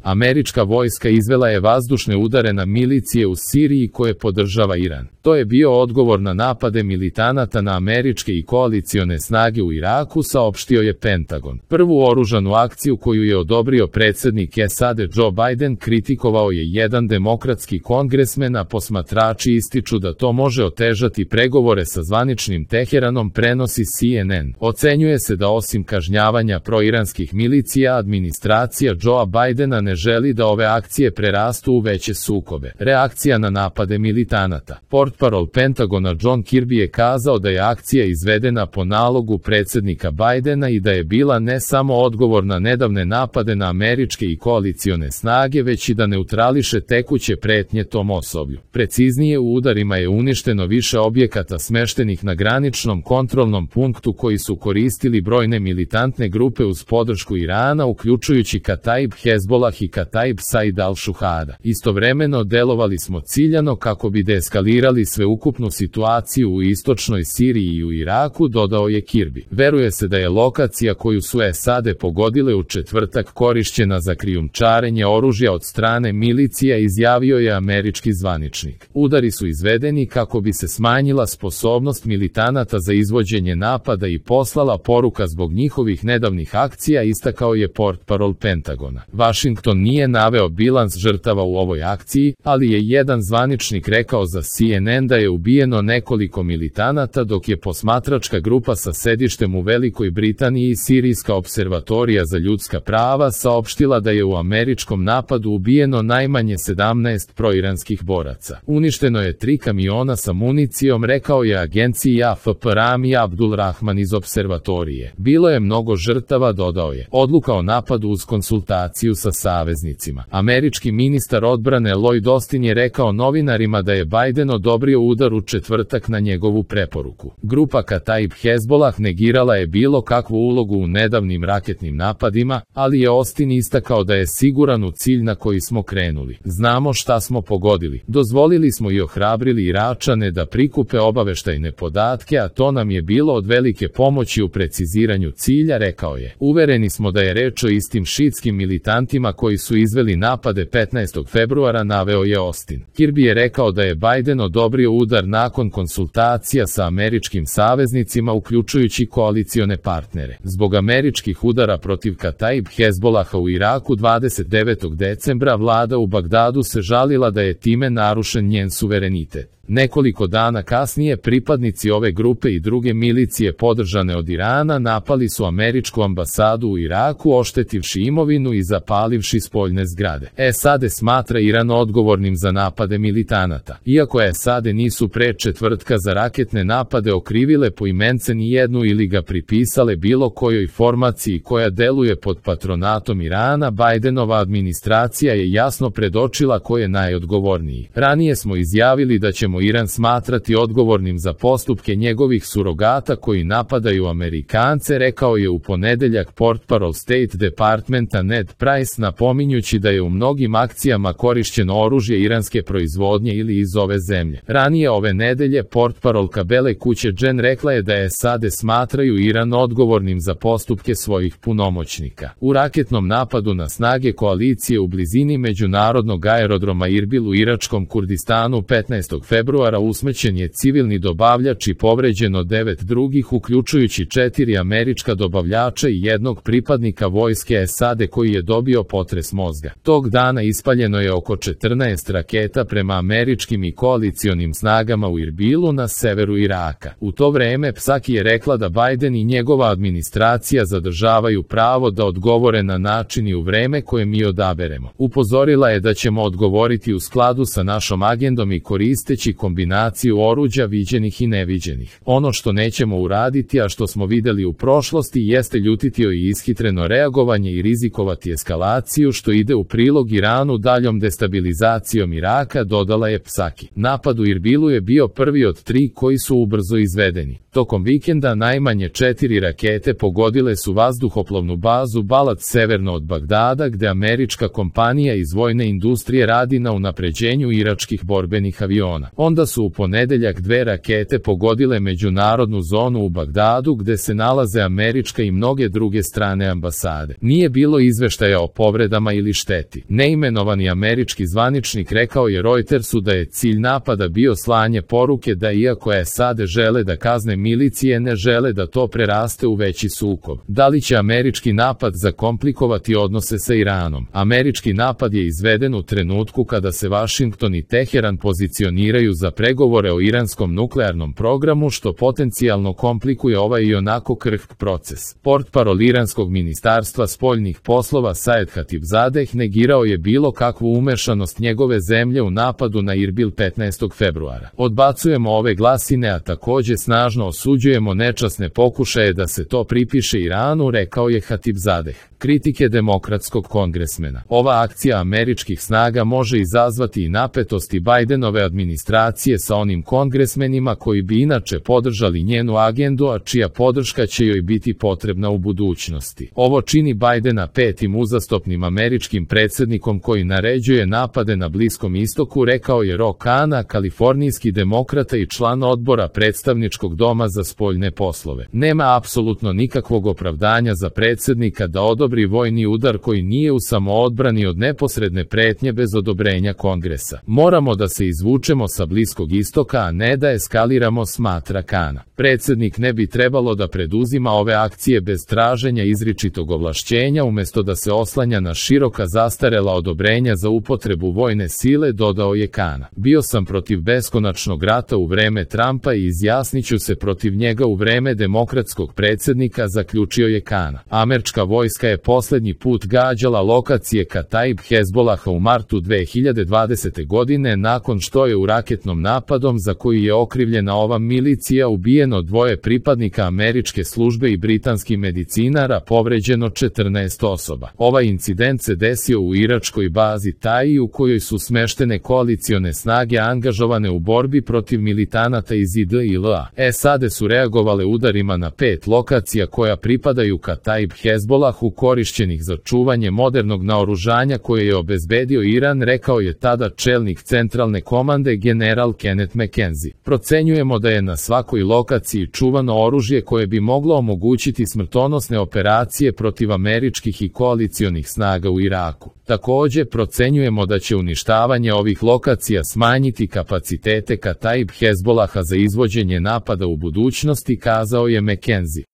Američka vojska izvela je vazdušne udare na milicije u Siriji koje podržava Iran. To je bio odgovor na napade militanata na američke i koalicione snage u Iraku, saopštio je Pentagon. Prvu oružanu akciju koju je odobrio predsjednik SAD Joe Biden kritikovao je jedan demokratski kongresmen, a posmatrači ističu da to može otežati pregovore sa zvaničnim Teheranom, prenosi CNN. Ocenjuje se da osim kažnjavanja proiranskih milicija, administracija Joea Bidena ne želi da ove akcije prerastu u veće sukobe. Reakcija na napade militanata. Portparol Pentagona John Kirby je kazao da je akcija izvedena po nalogu predsjednika Bidena i da je bila ne samo odgovor na nedavne napade na američke i koalicione snage, već i da neutrališe tekuće pretnje tom osoblju. Preciznije, u udarima je uništeno više objekata smeštenih na graničnom kontrolnom punktu koji su koristili brojne militantne grupe uz podršku Irana, uključujući Kataib Hezbollah i Kataib Said al-Shuhada. Istovremeno delovali smo ciljano kako bi deeskalirali sveukupnu situaciju u istočnoj Siriji i u Iraku, dodao je Kirby. Veruje se da je lokacija koju su SAD pogodile u četvrtak korišćena za krijumčarenje oružja od strane milicija, izjavio je američki zvaničnik. Udari su izvedeni kako bi se smanjila sposobnost militanata za izvođenje napada i poslala poruka zbog njihovih nedavnih akcija, istakao je portparol Pentagona. Washington nije naveo bilans žrtava u ovoj akciji, ali je jedan zvaničnik rekao za CNN da je ubijeno nekoliko militanata, dok je posmatračka grupa sa sedištem u Velikoj Britaniji, Sirijska observatorija za ljudska prava, saopštila da je u američkom napadu ubijeno najmanje 17 proiranskih boraca. Uništeno je 3 kamiona sa municijom, rekao je agenciji AFP Rami Abdul Rahman iz observatorije. Bilo je mnogo žrtava, dodao je. Odluka o napadu uz konsultaciju sa saveznicima. Američki ministar odbrane Lloyd Austin je rekao novinarima da je Biden odobrio udar u četvrtak na njegovu preporuku. Grupa Kataib Hezbollah negirala je bilo kakvu ulogu u nedavnim raketnim napadima, ali je Austin istakao da je siguran u cilj na koji smo krenuli. Znamo šta smo pogodili. Dozvolili smo i ohrabrili Iračane da prikupe obaveštajne podatke, a to nam je bilo od velike pomoći u preciziranju cilja, rekao je. Uvereni smo da je reč o istim šiitskim militantima koji su izveli napade 15. februara, naveo je Austin. Kirby je rekao da je Biden odobrio udar nakon konsultacija sa američkim saveznicima, uključujući koalicione partnere. Zbog američkih udara protiv Kataib Hezbollaha u Iraku 29. decembra vlada u Bagdadu se žalila da je time narušen njen suverenitet. Nekoliko dana kasnije pripadnici ove grupe i druge milicije podržane od Irana napali su američku ambasadu u Iraku, oštetivši imovinu i zapalivši spoljne zgrade. SAD smatra Iran odgovornim za napade militanata. Iako SAD nisu pre četvrtka za raketne napade okrivile poimence ni jednu ili ga pripisale bilo kojoj formaciji koja deluje pod patronatom Irana, Bidenova administracija je jasno predočila ko je najodgovorniji. Ranije smo izjavili da ćemo Iran smatrati odgovornim za postupke njegovih surogata koji napadaju Amerikance, rekao je u ponedeljak portparol State Departmenta Ned Price, napominjući da je u mnogim akcijama korišćeno oružje iranske proizvodnje ili iz ove zemlje. Ranije ove nedelje portparolka Bele kuće Jen rekla je da SAD smatraju Iran odgovornim za postupke svojih punomoćnika. U raketnom napadu na snage koalicije u blizini međunarodnog aerodroma Irbil u iračkom Kurdistanu 15. februara usmrćen je civilni dobavljač i povređeno 9 drugih, uključujući 4 američka dobavljača i jednog pripadnika vojske SAD koji je dobio potres mozga. Tog dana ispaljeno je oko 14 raketa prema američkim i koalicionim snagama u Irbilu na severu Iraka. U to vreme Psaki je rekla da Biden i njegova administracija zadržavaju pravo da odgovore na način i u vreme koje mi odaberemo. Upozorila je da ćemo odgovoriti u skladu sa našom agendom i koristeći kombinaciju oruđa viđenih i neviđenih. Ono što nećemo uraditi, a što smo videli u prošlosti, jeste ljutiti i ishitreno reagovanje i rizikovati eskalaciju, što ide u prilog Iranu daljom destabilizacijom Iraka, dodala je Psaki. Napad u Irbilu je bio prvi od 3 koji su ubrzo izvedeni. Tokom vikenda najmanje 4 rakete pogodile su vazduhoplovnu bazu Balad severno od Bagdada, gde američka kompanija iz vojne industrije radi na unapređenju iračkih borbenih aviona. Onda su u ponedeljak 2 rakete pogodile međunarodnu zonu u Bagdadu, gde se nalaze američka i mnoge druge strane ambasade. Nije bilo izveštaja o povredama ili šteti. Neimenovani američki zvaničnik rekao je Reutersu da je cilj napada bio slanje poruke da iako SAD žele da kazne milicije, ne žele da to preraste u veći sukob. Da li će američki napad zakomplikovati odnose sa Iranom? Američki napad je izveden u trenutku kada se Vašington i Teheran pozicioniraju za pregovore o iranskom nuklearnom programu, što potencijalno komplikuje ovaj i onako krhk proces. Portparol iranskog ministarstva spoljnih poslova Saed Hatibzadeh negirao je bilo kakvu umešanost njegove zemlje u napadu na Irbil 15. februara. Odbacujemo ove glasine, a takođe snažno osuđujemo nečasne pokušaje da se to pripiše Iranu, rekao je Hatibzadeh. Kritike demokratskog kongresmena. Ova akcija američkih snaga može izazvati i napetosti Bajdenove administracije sa onim kongresmenima koji bi inače podržali njenu agendu, a čija podrška će joj biti potrebna u budućnosti. Ovo čini Bajdena petim uzastopnim američkim predsjednikom koji naređuje napade na Bliskom istoku, rekao je Ro Khanna, kalifornijski demokrata i član odbora predstavničkog doma za spoljne poslove. Nema apsolutno nikakvog opravdanja za predsjednika da odobri vojni udar koji nije u samoodbrani od neposredne pretnje bez odobrenja Kongresa. Moramo da se izvučemo sa Bliskog istoka, a ne da eskaliramo, smatra Khanna. Predsjednik ne bi trebalo da preduzima ove akcije bez traženja izričitog ovlašćenja, umesto da se oslanja na široka zastarela odobrenja za upotrebu vojne sile, dodao je Khanna. Bio sam protiv beskonačnog rata u vreme Trumpa i izjasniću se protiv njega u vreme demokratskog predsjednika, zaključio je Khanna. Američka vojska je poslednji put gađala lokacije Kataib Hezbolaha u martu 2020. godine, nakon što je u raketnom napadom za koji je okrivljena ova milicija ubijeno 2 pripadnika američke službe i britanskih medicinara, povređeno 14 osoba. Ovaj incident se desio u iračkoj bazi Taji, u kojoj su smeštene koalicione snage angažovane u borbi protiv militanata iz IDIL-a. SAD su reagovale udarima na 5 lokacija koja pripadaju Kataib Hezbolahu, korišćenih za čuvanje modernog naoružanja koje je obezbedio Iran, rekao je tada čelnik centralne komande general Kenneth McKenzie. Procenjujemo da je na svakoj lokaciji čuvano oružje koje bi moglo omogućiti smrtonosne operacije protiv američkih i koalicionih snaga u Iraku. Takođe, procenjujemo da će uništavanje ovih lokacija smanjiti kapacitete Kataib Hezbolaha za izvođenje napada u budućnosti, kazao je McKenzie.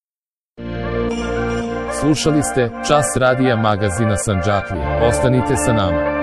Slušali ste Čas radija magazina Sandžaklija. Ostanite sa nama.